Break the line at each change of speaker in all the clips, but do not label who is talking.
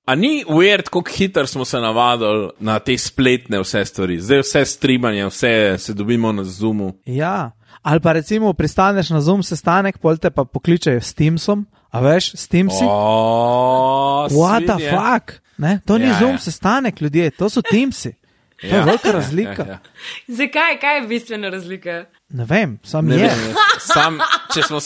A ni weird, koliko hitro smo se navadili na te spletne vse stvari. Zdaj vse streamanje, vse se dobimo na Zoomu.
Ja, ali pa recimo pristaneš na Zoom sestanek, pol te pa pokličejo s Teamsom, a veš, s Teamsi? What the fuck? Ne? To ni Zoom sestanek, ljudje, to so Teamsi. To je velika razlika.
Ja. Zakaj? Kaj je bistvena razlika?
Ne vem, je.
Če smo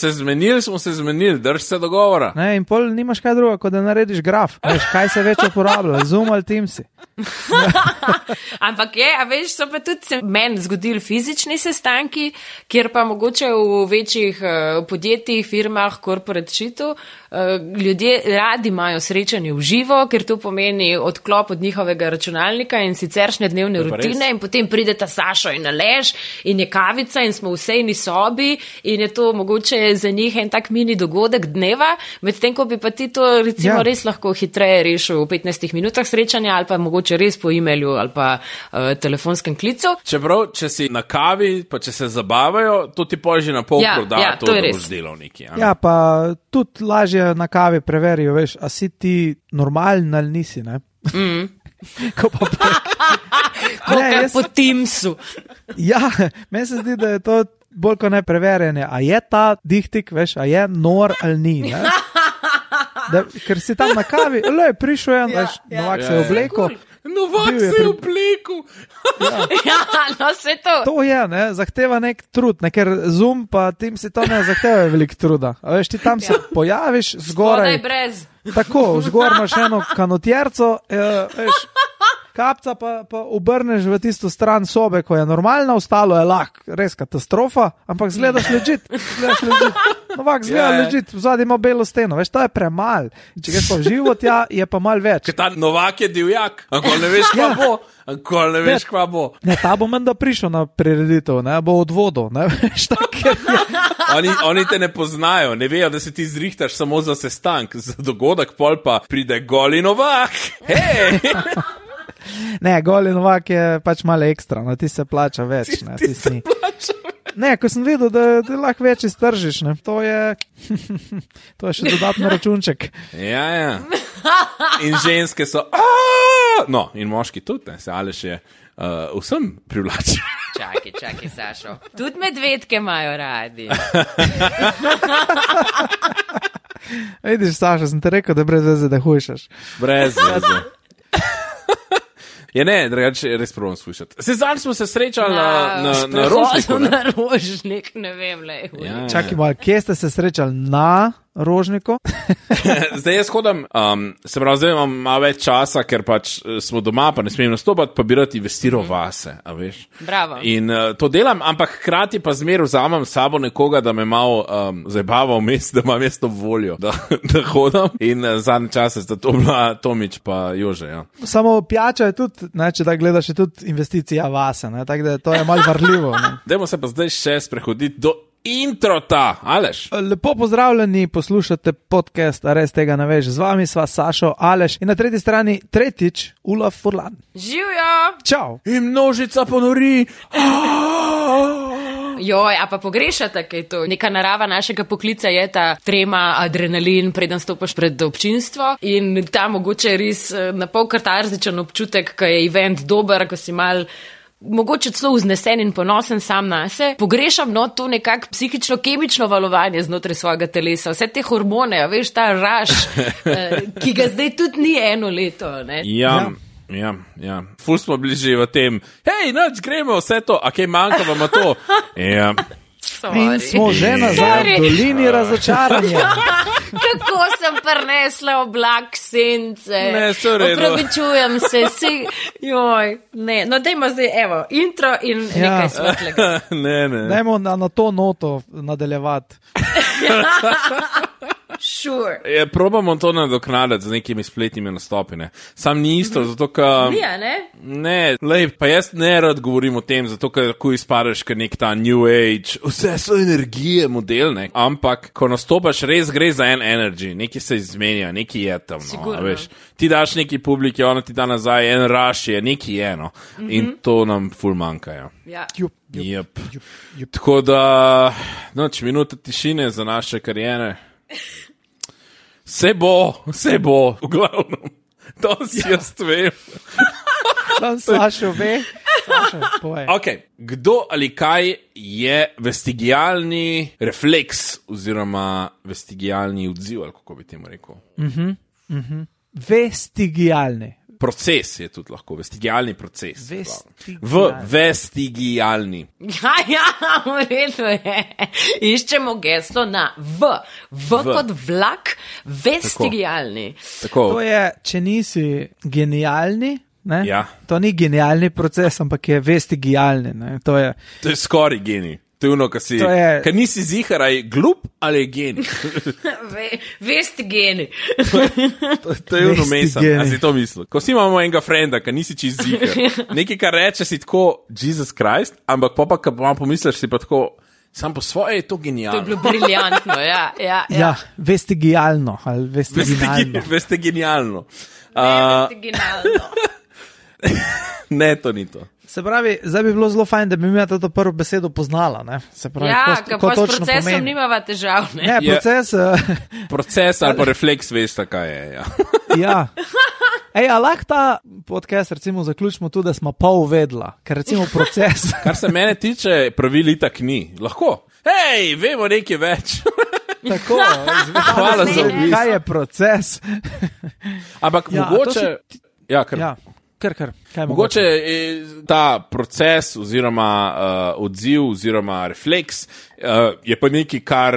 se zmenili, drž se dogovora.
Ne, in pol nimaš kaj druga, kot da narediš graf. Veš, kaj se več uporablja, Zoom ali Teamsi.
Ampak a veš, so pa tudi se meni zgodili fizični sestanki, kjer pa mogoče v večjih podjetjih, firmah, corporate shitu, ljudje radi imajo srečanje v živo, ker to pomeni odklop od njihovega računalnika in siceršnje dnevne rutine in potem pride ta Sašo in Aleš in je kavica in smo v sejni sobi in je to mogoče za njih en tak mini dogodek dneva, medtem ko bi pa ti to recimo res lahko hitreje rešil v 15 minutah srečanja ali pa mogoče res po e-mailu ali pa telefonskem klicu.
Čeprav, če si na kavi, pa če se zabavajo, to ti poži na pol proda, to da boš delal neki.
Ja, pa tudi lažje na kavi preverijo, veš, a si ti normalen ali nisi, ne? Ko pa
Kokaj po Teamsu.
Ja, meni se zdi, da je to bolj kot ne preverjanje. A je ta dihtik, veš, a je nor ali ni, ne? Ker si tam na kavi, prišel je, veš, Novak se je oblekel.
Novak se je oblekel.
No se to.
To je, ne, zahteva nek trud, ne, ker Zoom pa Teams si to ne zahteva veliko truda. A veš, ti tam se pojaviš zgoraj.
Spodaj brez.
Tako, zgor imaš eno kanotjerco, veš, kapca pa obrneš v tisto stran sobe, ko je normalna, ostalo je lahko, res katastrofa, ampak zgledaš legit. Novak zgleda legit, vzadi ima belo steno, veš, to je premal. Če greš pa v živo tja, je pa mal več.
Ker ta Novak je divjak, ankoli ne veš, kva bo. Ankoli ne veš, kva bo.
Ne, ta bo menda prišel na prireditev, ne, bo od vodo, ne, veš, tako je.
Oni te ne poznajo, ne vejo, da se ti zrihtaš samo za sestank, za dogodek, pol pa pride goli Novak. Hej!
Ne, goli Novak je pač malo ekstra, no, ti se plača več. Ne, ti se plača več. Ne, ko sem videl, da lahko več iztržiš, ne, to je še dodatno računček.
Ja. In ženske so, no, in moški tudi, ne, se Aleš je vsem privlačen.
Čakaj, Sašo. Tudi medvedke imajo radi.
Vidiš, Sašo, sem te rekel, da brez veze, da hujšaš.
Brez veze. Ja, ne, drugače res probam slušati. Zdaj smo se srečali na Rožniku.
Na Rožnik, ne vem, le.
Ja.
Čakaj malo, kje ste se srečali na Rožniku?
Zdaj jaz hodam, se pravi, zdaj imam malo več časa, ker pač smo doma, pa ne smem nastopati, pa bi rad investiral vase, a veš.
Bravo.
In to delam, ampak hkrati pa zmer vzamem s sabo nekoga, da me malo zabava vmes, da imam mesto voljo, da hodam. In zadnje čase sta to bila Tomič pa Jože, ja.
Samo pijača je tudi, ne, če da gledaš, je tudi investicija vase, ne, tako da to je malo varljivo.
Dajmo se pa zdaj še sprehoditi do introta, Aleš.
Lepo pozdravljeni, poslušate podcast, a res tega ne veš. Z vami sva Sašo, Aleš in na tretji strani tretjič Ulaf Furlan.
Živjo!
Čau!
In množica ponori.
Joj, a pa pogrešate, kaj to? Neka narava našega poklica je ta trema, adrenalin, preden stopaš pred občinstvo in ta mogoče res na pol katarzičen občutek, ko je event dober, ko si mal mogoče celo vznesen in ponosen sam nase. Pogrešam to nekako psihično-kemično valovanje znotraj svojega telesa. Vse te hormone, veš, ta raž, ki ga zdaj tudi ni eno leto, ne?
Ja. Ful smo bili že v tem, hej, noč gremo vse to, a kaj manjka vam to? Ja.
In smo že nazaj v dolini razočaranja.
Kako sem prinesla oblak sence.
Ne, sorry.
Opravičujem se, joj, ne. No, dajmo zdaj, evo, intro in nekaj svetlega.
Ne.
Dajmo na to noto nadaljevati.
Sure.
Probamo to nadoknaditi z nekimi spletnimi nastopi, ne. Sam ni isto, zato ka...
Nija, ne?
Ne, lej, pa jaz ne rad govorim o tem, zato ker lahko izpadeš kot nek ta New Age, vse so energije model, ne. Ampak, ko nastopaš, res gre za en energy, neki se izmenja, neki je tam, no, veš. Ti daš neki publiki, ona ti da nazaj, en rush je, neki je, no. In to nam ful manjka, ja. Yep. Tako da, noč, minuta tišine za naše karijere. Vse bo, v glavnem. To si jaz vem.
Tam Sašo ve. Sašo, povej.
Okay. Kdo ali kaj je vestigialni refleks oziroma vestigialni odziv, ali kako bi temu rekel?
Vestigialni.
Proces je tudi lahko, vestigialni proces. Vestigialni.
Ja, v redu je. Iščemo geslo na V. V kot vlak, vestigialni.
Tako.
To je, če nisi genialni, ne?
Ja.
To ni genialni proces, ampak je vestigialni. Ne? To je
skoraj genij. To je ono, kar nisi ziharaj glup ali je genij.
Vestigeni.
To je ono mesam, a si to mislil. Ko si imamo enega frenda, kar nisi čist zihar. Nekaj, kar reče si tako Jesus Christ, ampak pa, ko vam pomisliš, si pa tako, sam po svoje je to genialno.
To je bilo briljantno, ja.
Ja, vestigialno ali vestigialno.
Vestigialno.
Vestigialno.
Ne, to ni to.
Se pravi, zdaj bi bilo zelo fajn, da bi mi to prvo besedo poznala. Ne? Se pravi,
ja,
ko
pa s procesom pomeni. Nimava težav. Ne?
Ne, proces...
Proces ali pa refleks, veste, kaj je. Ja.
Ja. Ej, a lahko ta podcast recimo zaključimo tudi, da smo pol vedla, ker recimo proces...
Kar se mene tiče, pravil itak ni. Lahko. Hej, vemo nekaj več.
Tako,
hvala za obisk.
Kaj je proces?
Ampak ja, mogoče... Ja, kar...
Ja.
Mogoče ta proces oziroma odziv oziroma refleks je pa nekaj, kar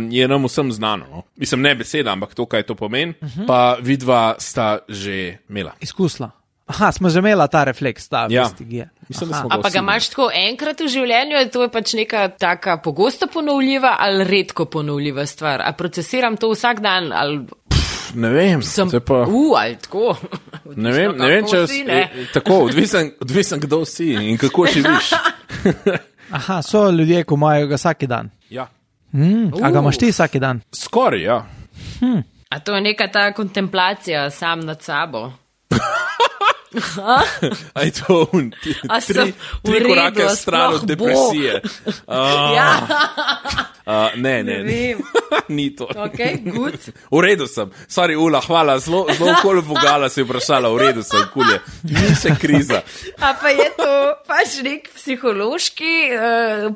je nam vsem znano. No? Mislim, ne beseda, ampak to, kaj to pomeni, pa vidva sta že imela.
Izkusila. Aha, smo že imela ta refleks, ta vestigija.
Mislim,
a pa ga imaš tako enkrat v življenju, to je pač neka taka pogosto ponovljiva ali redko ponovljiva stvar. A procesiram to vsak dan ali...
Ne vem, pa...
ali tako.
Ne vem, če si, tako, odvisen kdo si in kako živiš.
Aha, so ljudje, ko imajo ga vsak dan.
Ja.
A ga imaš ti vsak dan?
Skoraj, ja.
A to je neka ta kontemplacija sam nad sabo.
Aj to tri korake stran od depresije.
Ja.
Ne. Ni to.
Okay, good.
V redu sem. Sorry, Ula, hvala. Zelo kol vogala si vprašala. V redu sem, kulje. Ni še kriza.
A pa je to pač nek psihološki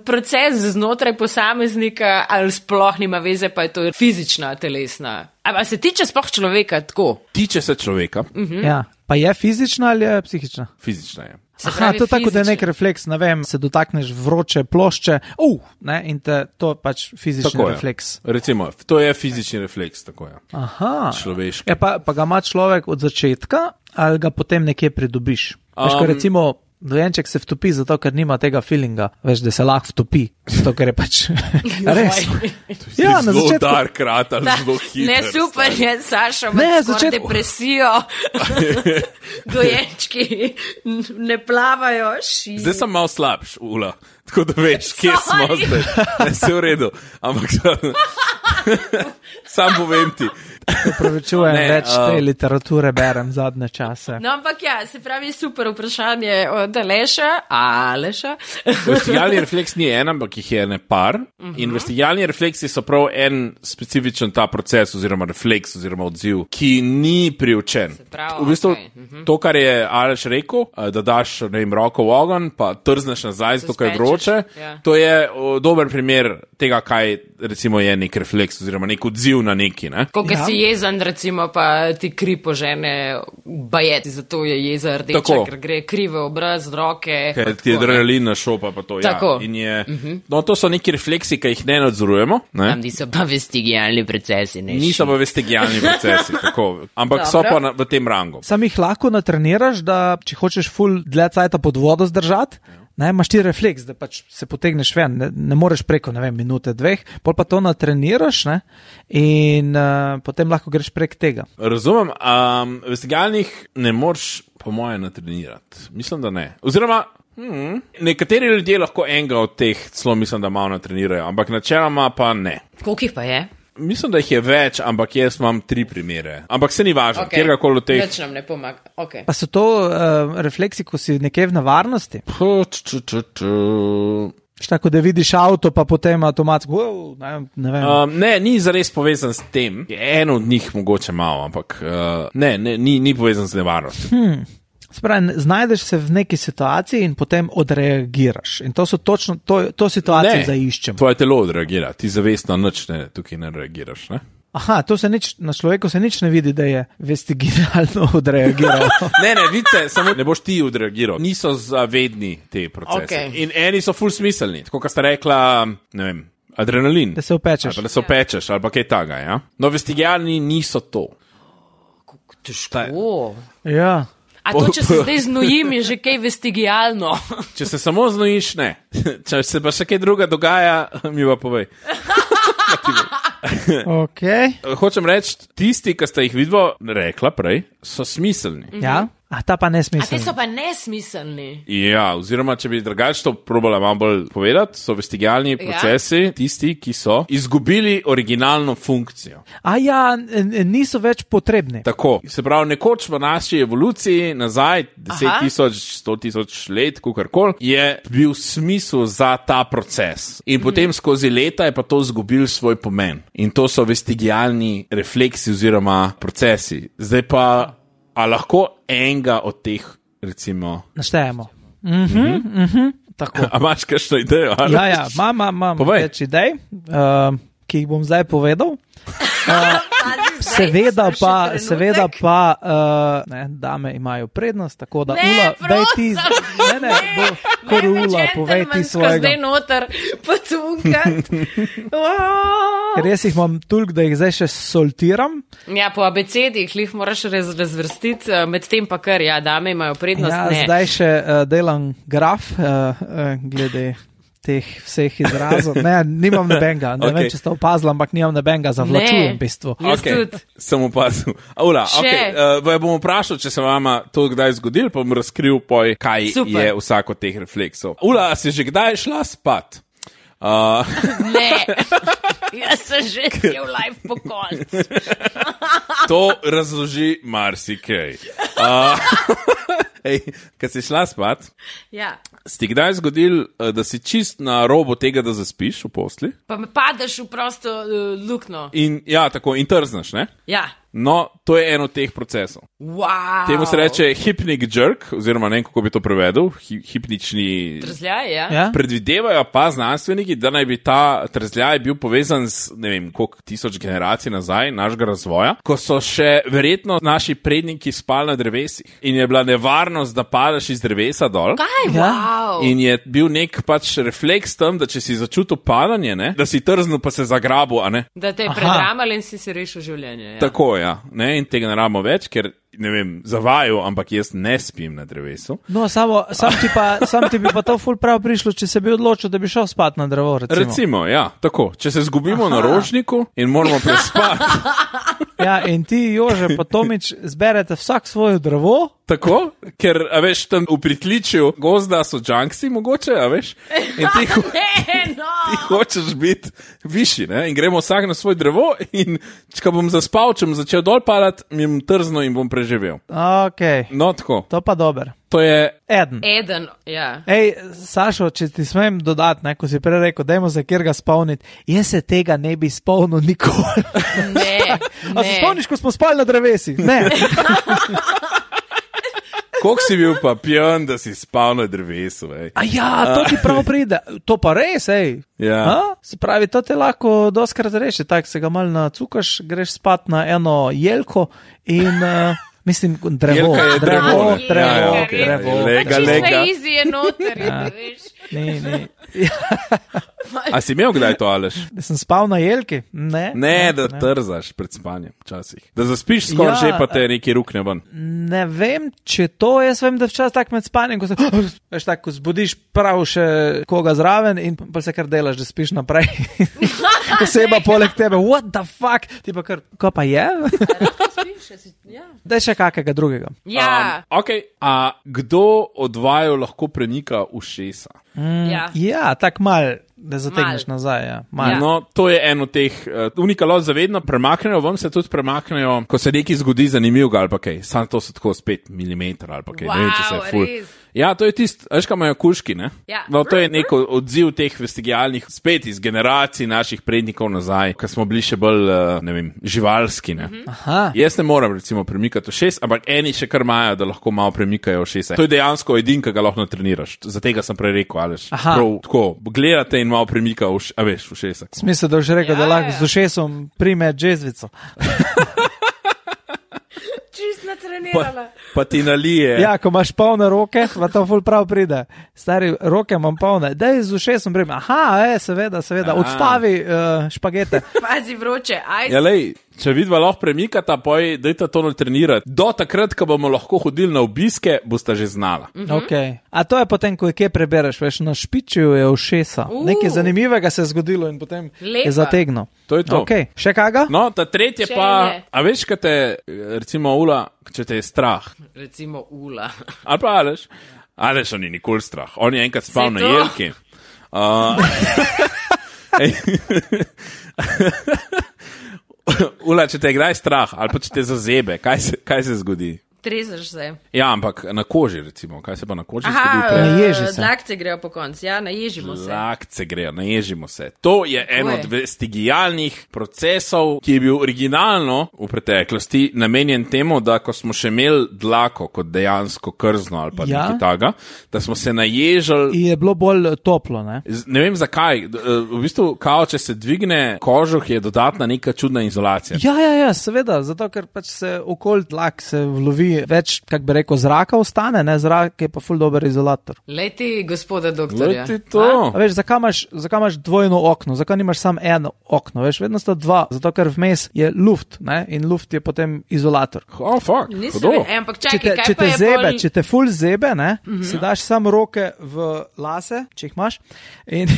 proces znotraj posameznika ali sploh nima veze, pa je to fizična, telesna. A se tiče sploh človeka tako?
Tiče se človeka.
Ja. Pa je fizična ali je psihična?
Fizična je.
Aha, to je tako, da je nek refleks, ne vem, se dotakneš vroče plošče, ne, in to je pač fizični
tako
refleks.
Je. Recimo, to je fizični refleks, tako je.
Aha.
Človeški.
Ja, pa ga ima človek od začetka ali ga potem nekje pridobiš? Veš, ko recimo dojenček se vtopi zato, ker nima tega feelinga, veš, da se lahko vtopi, zato, ker je pač res.
Ja, na začetku. Zelo dark rat ali zelo hiter.
Ne, super je, Saša, ima depresijo. Dojenčki ne plavajo.
Zdaj sem malo slabš, Ula, tako da veš, kje smo zdaj. Ne, se v redu, ampak sam povem ti.
Opravičujem, več te literature berem zadnje čase.
No, ampak ja, se pravi super vprašanje od Aleša.
Vestigialni refleks ni en, ampak jih je ne par. In vestigialni refleksi so prav en specifičen ta proces oziroma refleks oziroma odziv, ki ni priučen. V bistvu to, kar je Aleš rekel, da daš roko v ogenj, pa trzneš nazaj, zato, ker je vroče, to je dober primer tega, kaj recimo je nek refleks oziroma nek odziv na neki. Ne?
Jezen, recimo, pa ti kri požene bajeti, zato je jeza rdeča, ker gre kri v obraz, roke.
Ker ti je adrenalin našopa, pa to,
tako.
Ja. In je, no, to so neki refleksi, ki jih ne nadzorujemo. Ne?
Tam niso pa vestigialni procesi.
Niso pa vestigialni procesi, tako. Ampak so pa v tem rangu.
Sam jih lahko natreniraš, da če hočeš ful dlje cajta pod vodo zdržati, ne, imaš ti refleks, da pač se potegneš ven, ne moreš preko, ne vem, minute, dveh, pol pa to natreniraš, ne, in potem lahko greš prek tega.
Razumem, vestigialnih ne moreš po moje natrenirati. Mislim, da ne. Oziroma, nekateri ljudje lahko enega od teh celo mislim, da malo natrenirajo, ampak načeloma pa ne.
Koliko jih pa je?
Mislim, da jih je več, ampak jaz imam 3 primere. Ampak se ni važno, kjerkoli od teh.
Več nam ne pomaga. Okay.
Pa so to refleksi, ko si nekje v nevarnosti? Tako da vidiš avto, pa potem avtomatsko, ne vem.
Ne, ni zares povezan s tem. Eno od njih mogoče malo, ampak ni povezan z nevarnostjo.
Spravi, znajdeš se v neki situaciji in potem odreagiraš. In to so točno, to situacijo zaiščem.
Tvoje telo odreagira, ti zavestno nič tukaj ne reagiraš, ne?
Aha, na človeku se nič ne vidi, da je vestigialno odreagiral.
ne, vidite, samo ne boš ti odreagiral. Niso zavedni te procese.
Okay.
In eni so ful smiselni, tako kot sta rekla, ne vem, adrenalin.
Da se opečeš.
Da se opečeš, ali pa kaj taga, ja? No, vestigialni niso to.
Težko.
Ja.
A to, če se zdaj znojim, je že kaj vestigialno.
Če se samo znojiš, ne. Če se pa še kaj druga dogaja, mi pa povej.
Okay.
Hočem reči, tisti, ki ste jih vidvo rekla prej, so smiselni.
Ja? A ta pa
A
nesmiselni.
te so pa nesmiselni.
Ja, oziroma, če bi drugače to probala malo bolj povedati, so vestigialni procesi tisti, ki so izgubili originalno funkcijo.
A ja, niso več potrebni.
Tako, se pravi, nekoč v naši evoluciji, nazaj 10.000, 100.000 let, kakorkoli, je bil smisel za ta proces. In potem skozi leta je pa to izgubil svoj pomen. In to so vestigialni refleksi oziroma procesi. Zdaj pa, a lahko enega od teh, recimo...
Naštejemo. Tako.
A imaš kakšno idejo? Ali?
Ja, imam več idej, ki jih bom zdaj povedal. Seveda pa, dame imajo prednost, tako da Ula, daj ti, Ula, povej ti svojega.
Zdaj noter potunkat.
Ker jaz jih imam toliko, da jih zdaj še soltiram.
Ja, po abecedi jih moraš razvrstiti, medtem pa kar, dame imajo prednost.
Ja,
ne.
Zdaj še delam graf, glede teh vseh izrazov. Ne, nimam nobenega. Ne vem, če ste opazili, ampak nimam nobenega, zavlačujem v bistvu.
Sem opazil. Ula, bom vprašal, če se vama to kdaj zgodil, pa bom razkril, kaj je vsak od teh refleksov. Ula, a si že kdaj šla spat?
Ne, jaz sem že cel life po koncu.
To razloži marsikaj. Kad si šla spat, si ti kdaj zgodil, da si čist na robu tega, da zaspiš v posli?
Pa me padeš v prosto lukno.
In tako, in trzneš, ne?
Ja.
No, to je eno od teh procesov.
Wow.
Temu se reče hypnic jerk, oziroma ne vem, kako bi to prevedel, hipnični...
Trzljaj,
Ja.
Predvidevajo pa znanstveniki, da naj bi ta trzljaj bil povezan z, ne vem, koliko tisoč generacij nazaj našega razvoja, ko so še verjetno naši predniki spali na drevesih in je bila nevarnost, da padeš iz drevesa dol.
Kaj? Wow.
In je bil nek pač refleks tam, da če si začutil padanje, ne, da si trznil pa se zagrabil, a ne?
Da te je predramal in si rešil življenje. Ja.
Tako, ja. Ne, in tega ne rabimo več, ker, ne vem, zavajo, ampak jaz ne spim na drevesu.
No, sam ti bi pa to ful prav prišlo, če se bi odločil, da bi šel spat na drevo,
Recimo, ja, tako. Če se zgubimo na rožniku in moramo prespati.
Ja, in ti, Jože, pa Tomič, zberete vsak svojo drevo.
Tako, ker, a veš, tam v pritličju gozda so junksi mogoče, a veš? In ti hočeš biti višji, ne? In gremo vsak na svoj drevo in če bom zaspal, če bom začel dol padati, mi bom trzno in bom preživel.
Ok.
No, tako.
To pa dober.
To je...
Eden, ja.
Ej, Sašo, če ti smem dodati, ko si prej rekel, dajmo se kjer ga spomniti, jaz se tega ne bi spomnil nikoli.
Ne.
A se spomniš, ko smo spali na drevesi? Ne.
Koliko si bil pa pijan, da si spal na drevesu, ej?
A ja, to ti prav pride. To pa res, ej.
Ja.
Se pravi, to te lahko doskrat reši, tako se ga malo nacukaš, greš spat na eno jelko in... Mislim, drevo.
Lega.
Čisto easy je noter, veš.
Ne.
A si imel kdaj to, Aleš?
Da sem spal na jelki? Ne,
da trzaš pred spanjem včasih. Da zaspiš skoraj že, pa te neki rukne ven.
Ne vem, če to, jaz vem, da včasih tak med spanjem, ko se, veš tako, ko zbudiš prav še koga zraven in pa se kar delaš, da spiš naprej. Oseba poleg tebe, what the fuck? Ti pa kar, ko pa je? Daj še kakega drugega.
Ja.
A kdo od vaju lahko prenika ušesa?
Ja, tak mal, da zategneš nazaj. Ja.
No, to je eno teh, unikalot zavedno premaknejo, vam se tudi premaknejo, ko se nekaj zgodi zanimivega ali pa kaj, samo to so tako 5 mm ali pa kaj, ne vem, če se je ful. Ja, to je tisto, veš, kaj imajo kužki, ne?
Ja.
No, to je nek odziv teh vestigialnih, spet iz generacij naših prednikov nazaj, ko smo bili še bolj, ne vem, živalski, ne?
Aha.
Jaz ne moram, recimo, premikati ušes, ampak eni še kar imajo, da lahko malo premikajo ušesa. To je dejansko edin, ki ga lahko natreniraš. Za tega sem prej rekel, Aleš.
Aha.
Prav, tako, gledate in malo premika ušesa.
Smisel, da už rekel, da lahko z ušesom prime džezvico.
Čist natrenirala.
Pa ti nalije.
Ja, ko imaš polne roke, pa to ful prav pride. Stari, roke imam polne. Daj z ušesom prime. Aha, seveda, odstavi špagete.
Pazi vroče, ajde.
Ja, lej, če vidva lahko premikata, poj, dajte to natrenirati. Do takrat, ko bomo lahko hodili na obiske, boste že znala.
Okay. A to je potem, ko je kje prebereš, veš, na špičju je ušesa. Nekaj zanimivega se je zgodilo in potem
Lepa.
je zategnil.
To je to.
Okay. Še kaga?
No, ta tretje
Še
pa,
ne.
a veš, kaj te, recimo, Ula, če te je strah.
Recimo Ula.
Ali pa Aleš, on je nikoli strah. On je enkrat spal
Saj
na
to.
jelki. Ula, če te je kdaj strah, ali pa če te zazebe, kaj se zgodi?
Trezaš se.
Ja, ampak na koži, recimo. Kaj se pa na koži zgodi?
Aha,
Naježi se.
dlakce grejo po koncu, ja, naježimo se.
Lakce grejo, naježimo se. To je en
je.
od vestigialnih procesov, ki je bil originalno v preteklosti namenjen temu, da ko smo še imeli dlako kot dejansko krzno ali pa
Ja.
nekaj taga, da smo se naježali.
In je bilo bolj toplo, ne?
Ne vem zakaj, v bistvu, kao, če se dvigne kožuh, je dodatna neka čudna izolacija.
Ja, seveda, zato ker pač se okoli tlak se vlovi več, kak bi rekel, zraka ostane, ne, zrak je pa ful dober izolator.
Leti, gospoda doktorja.
Leti to.
A veš, zakaj imaš dvojno okno, zakaj nimaš samo eno okno, veš, vedno sta dva, zato ker vmes je luft, ne, in luft je potem izolator.
Oh, fuck,
Nisem
hudo.
vedela, ampak
Če
čakaj,
te,
kaj
če
pa
te
je
zebe,
bolj...
če te ful zebe, ne, si daš samo roke v lase, če jih imaš, in,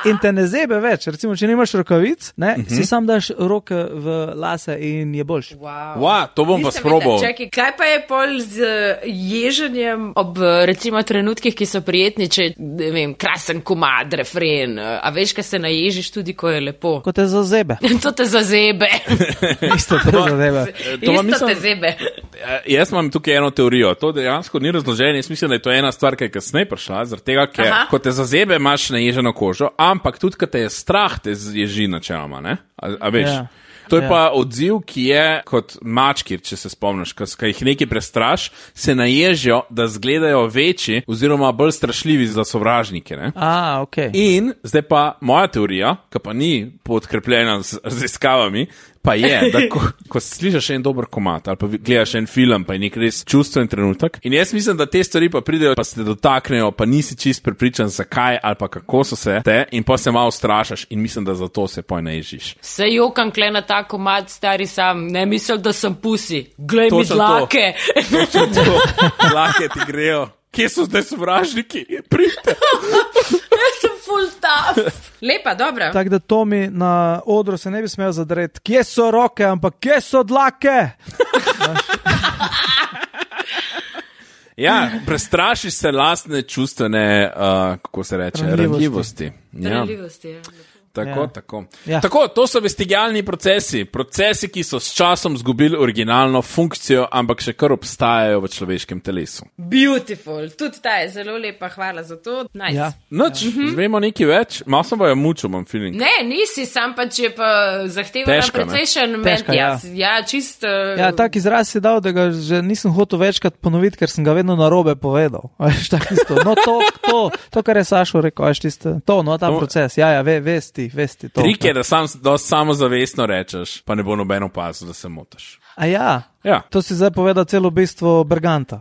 in te ne zebe več. Recimo, če nimaš rokavic, ne, si sam daš roke v lase in je boljš.
Wow.
Wow, to bom pa
Nisem
sprobal.
vedela. Čakaj, kaj pa je pol z ježenjem ob recimo trenutkih, ki so prijetni, če, ne vem, krasen komad, refren, a veš, kaj se naježiš tudi, ko je lepo.
Ko te zazebe.
To te zazebe.
Isto te zazebe.
To pa
Isto
mislim-
te zebe.
Jaz imam tukaj eno teorijo. To dejansko ni razloženje. Jaz mislim, da je to ena stvar, ki je kasneje prišla, zaradi tega, ker
Aha.
ko te zazebe, imaš naježeno kožo, ampak tudi, ko te je strah, te ježi načeloma, ne? A veš?
Ja.
To je
Ja.
pa odziv, ki je kot mački, če se spomniš, ko jih nekaj prestraš, se naježijo, da izgledajo večji oziroma bolj strašljivi za sovražnike. Ne?
Ok.
In zdaj pa moja teorija, ki pa ni podkrepljena z raziskavami, pa je, da ko slišiš en dober komad ali pa gledaš en film, pa je nek res čustven trenutek. In jaz mislim, da te stvari pa pridejo, pa se te dotaknejo, pa nisi čist prepričan, zakaj ali pa kako so se te, in pa se malo strašaš in mislim, da zato se poj naježiš.
Se jokam kle na ta komad, stari sam, ne misel, da sem pusi. Glej mi
Točno to.
dlake.
Dlake ti grejo. Kje so zdaj sovražniki? Pridite.
Jaz sem full tough. Lepa, dobra.
Tako da Tomi na odru se ne bi smel zadreti, kje so roke, ampak kje so dlake?
Ja, prestrašiš se lastne čustvene, kako se reče, ranljivosti. Ja.
Ranljivosti, ja.
Tako,
Ja.
tako.
Ja.
Tako, to so vestigialni procesi, ki so s časom zgubili originalno funkcijo, ampak še kar obstajajo v človeškem telesu.
Beautiful. Tudi ta je zelo lepa, hvala za to. Nice.
Ja.
Noč, zvemo nekaj več, malo sem bojo mučil, imam feeling.
Ne, nisi, sam pač je pa zahteva
Težka, ne?
precejšen
Težka, ja.
ja, čist.
Ja, tak izraz si dal, da ga že nisem hotel večkrat ponoviti, ker sem ga vedno narobe povedal. Veš, tak isto. No, to, kar je Sašo rekel, veš, tisto, ta proces. Ja, vesti to.
Trik je, da samozavestno rečeš, pa ne bo noben opazil, da se motiš.
A ja,
Ja.
to si zdaj povedal celo bistvo Berganta.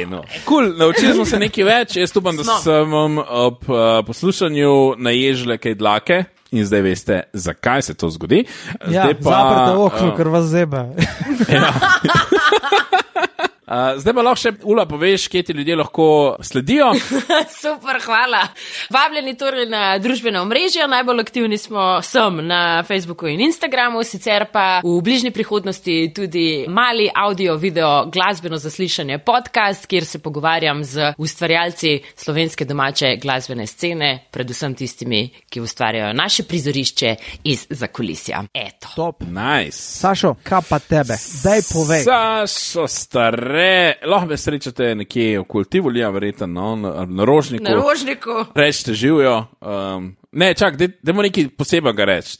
No. Cool, naučili smo se nekaj več, jaz upam, da
Smo.
sem vam ob poslušanju naježile kaj dlake in zdaj veste, zakaj se to zgodi.
Ja,
Zdaj pa,
zaprte okno, ker vas zebe.
Zdaj pa lahko še, Ula, poveš, kje ti ljudje lahko sledijo.
Super, hvala. Vabljeni torej na družbena omrežja, najbolj aktivni smo na Facebooku in Instagramu, sicer pa v bližnji prihodnosti tudi mali audio, video, glasbeno zaslišanje podcast, kjer se pogovarjam z ustvarjalci slovenske domače glasbene scene, predvsem tistimi, ki ustvarjajo naše prizorišče iz zakulisja. Eto.
Top.
Nice.
Sašo, kaj pa tebe? Daj povej.
Sašo, lahko me srečate nekje okoli Tivolija, verjetno, na Rožniku.
Na Rožniku.
Rečete, živijo. Ne, čak, dajmo nekaj posebnega reči.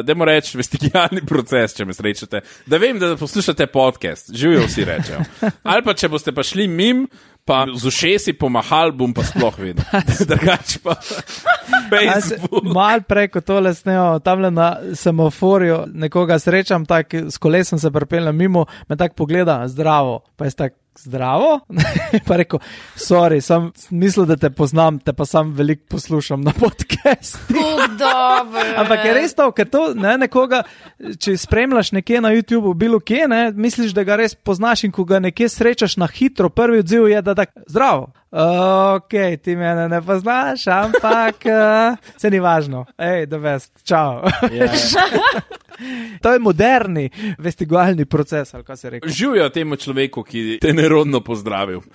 Dajmo reči vestigijalni proces, če me srečate. Da vem, da poslušate podcast. Živijo vsi rečejo. Ali pa, če boste pa šli mim, pa z ušesi pomahal, bom pa sploh videl. Drugač pa Facebook.
Mal preko tole snejo, tamle na semaforju nekoga srečam, tak s kolesom se pripeljem mimo, me tak pogleda, zdravo. Pa jaz tak, zdravo? Pa rekel, sorry, sem mislil, da te poznam, te pa sam veliko poslušam na podcastu. Ampak je res to, ker to nekoga, če spremljaš nekje na YouTubeu, bilo kje, misliš, da ga res poznaš in ko ga nekje srečaš na hitro, prvi odziv je, da tak, zdravo. Ok, ti mene ne poznaš, ampak se ni važno. Ej, the best, čau. To je moderni vestigijalni proces, ali kaj se reče.
Živijo temu človeku, ki te nerodno pozdravil.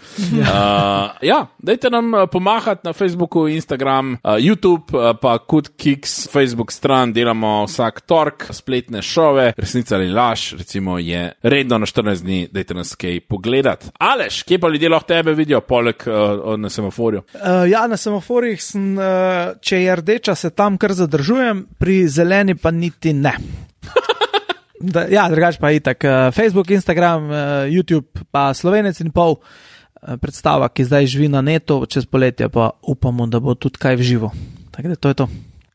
Dajte nam pomahati na Facebooku, Instagram, YouTube, pa Good Kicks, Facebook stran, delamo vsak tork, spletne šove, resnica ali laž, recimo je redno na 14 dni, dajte nas kaj pogledati. Aleš, kje pa ljudje lahko tebe vidijo, poleg na semaforju?
Na semaforjih sem, če je rdeča, se tam kar zadržujem, pri zeleni pa niti ne. Drugač pa itak. Facebook, Instagram, YouTube, pa Slovenec in pol predstava, ki zdaj živi na netu, čez poletje pa upamo, da bo tudi kaj v živo. Tako da to je to.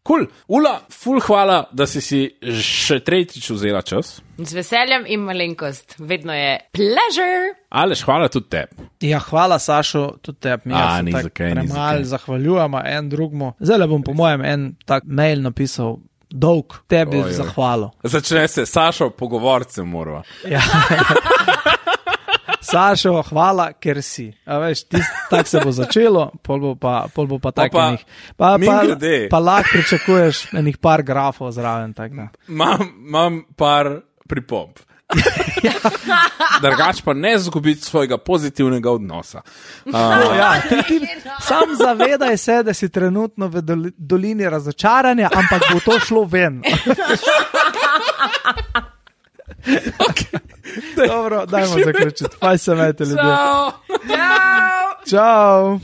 Cool. Ula, ful hvala, da si še tretjič vzela čas.
Z veseljem in malenkost. Vedno je pleasure.
Aleš, hvala tudi tebi.
Ja, hvala Sašo, tudi tebi.
Ni zakaj.
Zahvaljujemo en drugmu. Zdaj bom po mojem en tak mail napisal, dolg, tebi zahvalo.
Začne se, Sašo, pogovorce morava.
Ja. Sašo, hvala, ker si. A veš, tak se bo začelo, pol bo pa tak enih. Pa lahko pričakuješ enih par grafov zraven.
Imam par pripomb. Drugač pa ne zgubiti svojega pozitivnega odnosa.
Ti sam zavedaj se, da si trenutno v dolini razočaranja, ampak bo to šlo ven.
Okay.
Dobro, dajmo zaključiti. Faj se imejte, ljudje.
Ciao.
Ciao.